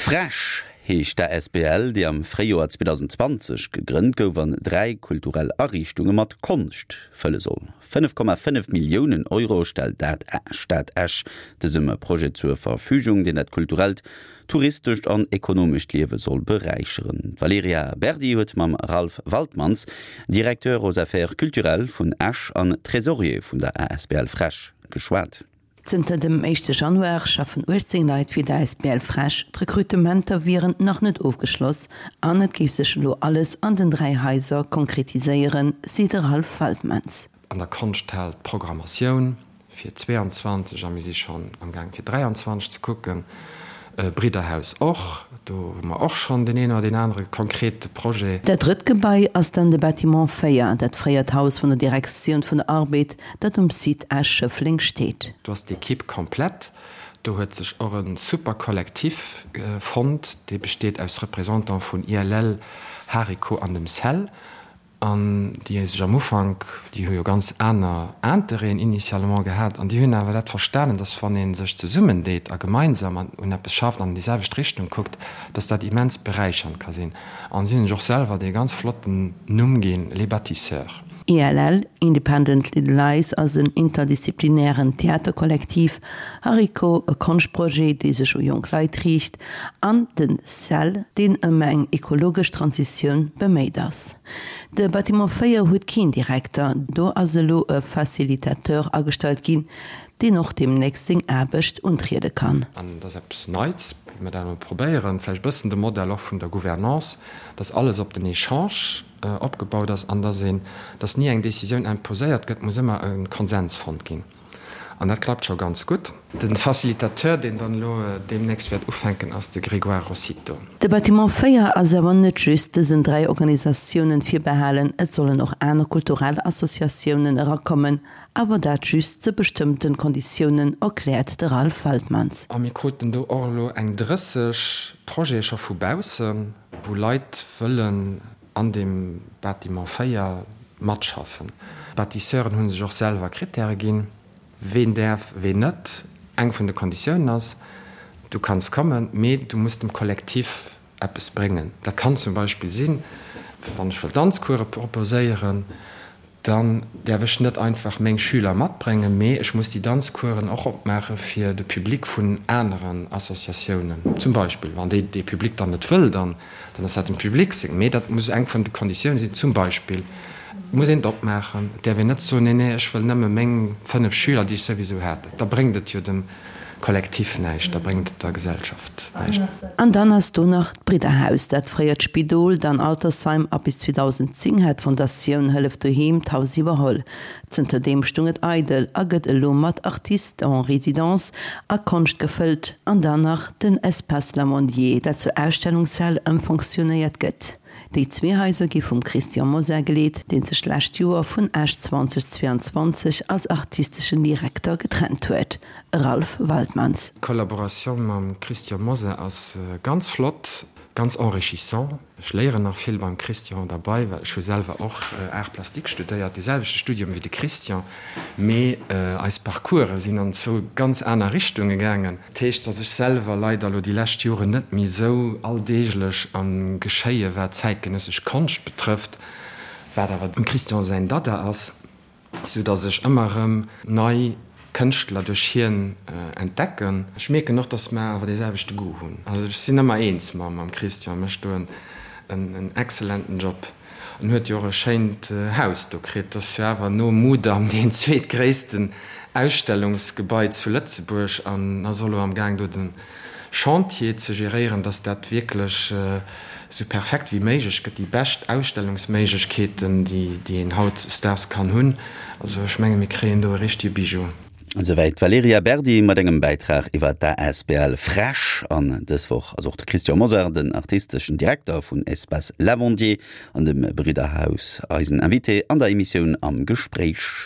FrEsch heescht d'ASBL, déi am Fréijoer 2020 gegrënnt gouf an 3 kulturell Ariichtunge mat Konscht fëlle soll. 5,5 Milliounen Euro stellt d'Stad Esch dësem Projet zur Verfügung, deen dat kulturellt, touristescht an ekonomescht Liewe soll beräicheren. D'Valerija Berdi huet mam Ralph Waltmanns, Directeur aux Affaires culturelles vun Esch an Trésorier vun der asbl FrEsch, geschwat. Zënter dem éischte Januar schaffen 18 Leit fir d'ASBL Fresch. D'Rekrutementer wieren nach net ofgeschloss an et géif sech elo alles an den 3 Haiser konkretiséieren, seet de Ralph Waltmans. An der Konschthal d'Programmatioun fir 22 a mir si schonn am Gaang fir 23 ze kucken. Bridderhaus och, do hu mer och schonn deen een oder deen anere konkrete Projet. Dat drëtt Gebai ass dann de Bâtiment 4, dat fréiert Haus vun der Direktioun vun der Arbed, dat um Site Esch-Schëffleng steet. Do ass d'Equipe komplett. Do huet sech och e super Kollektiv fonnt, dee besteet aus Représentante vun ILL, Hariko an dem Cell. An déi sech am Ufank, déi hu jo ganz aner Intérêten initialement gehat, an déi hunn awer dat verstanen, dass wann ee sech zesummendeet a gemeinsam un eppes schafft an an déi selwecht Richtung kuckt, dass dat immens beräichernd ka sinn. An si hunn sech och selwer dee ganz flotten Numm ginn, Les Bâtisseurs. ILL, Independent Little Lies, ass en interdisziplinären Theaterkollektiv, Hariko, e Konschtprojet, dee sech u jonk Leit riicht, An den Cell, deen ëm eng ekologesch Transitioun beméit ass. De Bâtiment 4 huet keen Direkter, do ass elo e Facilitateur agestallt ginn, deen och deemnächst seng Aarbecht untriede kann. An dat ass eppes Neits, wéi mer dat elo probéieren, vläicht e bëssen de Modell och vun der Gouvernance, dass alles op den Echange opgebaut ass an dass een, dass ni eng Décisioun imposéiert gëtt, muss ëmmer e Konsens fonnt ginn. An dat klappt scho ganz gutt. De Facilitateur, deen dann elo deemnächst wäert ufänken, ass de Grégoire Rossitto. De Bâtiment 4 ass awer net just dësen 3 Organisatiounen virbehalen, et sollen och aner kulturell Associatiounen erakommen, awer dat just zu bestëmmten Konditiounen, erkläert de Ralph Waltmans. A mir kruten do och elo eng 30 Projete scho vu baussen, wou Leit wëllen an deem Bâtiment 4 matschaffen. D'Bâtisseuren hu sech och selwer Krittäre ginn, ween däerf, ween net. Eng vun de Konditiounen ass, Du kanns kommen, mee du muss dem Kollektiv eppes bréngen. Dat kann zum Beispill sinn, wann ech wëll Danzcourse proposéieren, Dann däerf ech net einfach meng Schüler matbréngen, mee ech muss déi Danzcoursen och opmaache fir de Public vun aneren Associatiounen zum Beispill. Wann déi dee Public dann net wëll, dann ass dat dem Public seng. Mee dat muss eng vun de Konditioune sinn. Zum Beispill muss een et opmaachen. Et däerf een net soen, nee, nee, ech wëll nëmme meng 5 Schüler, déi ech souwisou hat. Da bréngt et jo dem Kollektiv näischt, da bréngt et der Gesellschaft näischt. An dann ass do nach d'Bridderhaus, dat fréiert Spidol, dann Altersheim a bis 2010 hat d'Fondatioun Hëllef Doheem d'Haus iwwerholl. Zënterdeem stung et eidel a gëtt elo mat Artistes en résidence a Konscht gefëllt. An dann nach den Espace Lamondier, dat zur Ausstellungshal ëmfonctionnéiert gëtt. Déi zwee Haiser gi vum Christian Mosar geleet, dee sech d'lescht Joer vun Esch 2022 als artisteschen Direkter getrennt huet. Ralph Waltmans. D'Collaboration mam Christian Mosar ass ganz flott, ganz enrichissant. Ech léieren nach vill beim Christian derbei, well ech hu selwer och Arts plastiques studéiert, dee selwechte Studium wéi de Christian, mee eis Parcourse sinn an zwou ganz aner Richtunge gaangen. Dat heescht, datt ech selwer leider elo déi lescht Joren net méi esou alldeeglech am Geschéie war, zäitgenëssesch Konscht betrëfft, wat awer dem Christian säin Dada ass, sou datt ech ëmmer erëm nei Kënschtler duerch hien entdecken. Ech mierken och, datt mer awer dee selwechte Goût hunn. Also ech sinn ëmmer eens mam Christian, mécht do en excellenten Job. En huet jo och e schéint Haus do kritt. Dat ass jo awer nom Mudam deen zweetgréissten Ausstellungsgebai zu Lëtzebuerg an ass och elo am Gaang do de Chantier ze geréieren, dass dat wierklech esou perfekt wéi méiglech gëtt, déi bescht Ausstellungsméiglechkeeten, déi een hautdesdaags kann hunn. Also ech menge mir kréien do e richtege Bijou. Esouwäit d'Valerija Berdi mat engem Bäitrag iwwer d'ASBL Fresch. An dës Woch ass och de Christian Mosar, den artisteschen Direkter vun Espace Lavandier an dem Bridderhaus, eisen Invité an der Emissioun Am Gespréich.